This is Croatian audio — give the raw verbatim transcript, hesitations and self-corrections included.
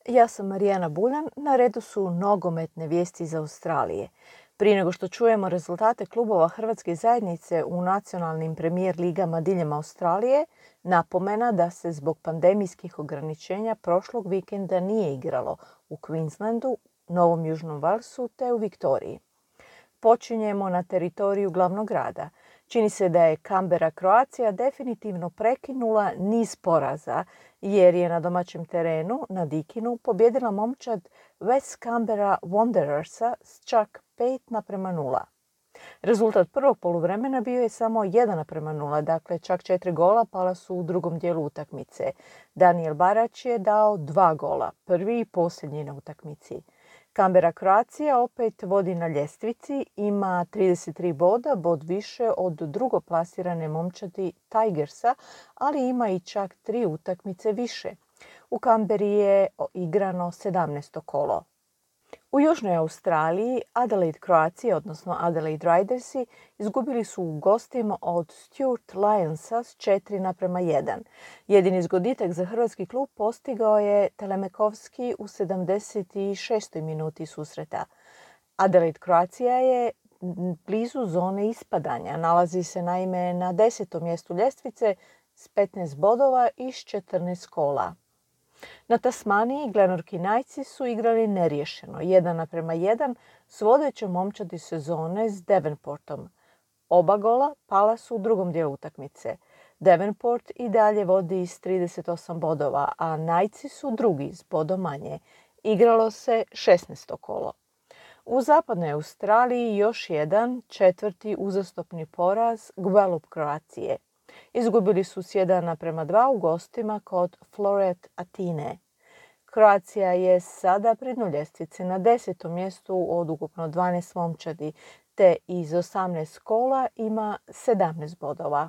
Ja sam Marijana Buljan, na redu su nogometne vijesti iz Australije. Prije nego što čujemo rezultate klubova Hrvatske zajednice u nacionalnim premijer ligama diljem Australije, napomena da se zbog pandemijskih ograničenja prošlog vikenda nije igralo u Queenslandu, Novom Južnom Walsu te u Viktoriji. Počinjemo na teritoriju glavnog grada. Čini se da je Canberra Croatia definitivno prekinula niz poraza jer je na domaćem terenu na Dikinu pobjedila momčad West Canberra Wanderersa s čak pet naprema nula. Rezultat prvog poluvremena bio je samo jedan naprema nula, dakle čak četiri gola pala su u drugom dijelu utakmice. Daniel Barać je dao dva gola, prvi i posljednji na utakmici. Canberra Croatia opet vodi na ljestvici, ima trideset tri boda, bod više od drugoplasirane momčadi Tigersa, ali ima i čak tri utakmice više. U Canberri je igrano sedamnaesto kolo. U Južnoj Australiji Adelaide Croatia, odnosno Adelaide Ridersi, izgubili su u gostima od Stuart Lionsa s četiri naprema jedan. Jedini zgoditak za hrvatski klub postigao je Telemekovski u sedamdeset šestoj minuti susreta. Adelaide Croatia je blizu zone ispadanja. Nalazi se naime na desetom mjestu ljestvice s petnaest bodova i s četrnaest kola. Na Tasmaniji Glenorchy Knightsi su igrali neriješeno, jedan naprema jedan, s vodećom momčadi sezone s Devonportom. Oba gola pala su u drugom dijelu utakmice. Devonport i dalje vodi s trideset osam bodova, a Knightsi su drugi s bodom manje. Igralo se šesnaesto kolo. U zapadnoj Australiji još jedan četvrti uzastopni poraz Gwelup Croacije. Izgubili su s jedan naprema dva u gostima kod Floreat Atine. Croatia je sada pri dnu ljestvice na desetom mjestu od ukupno dvanaest momčadi, te iz osamnaest kola ima sedamnaest bodova.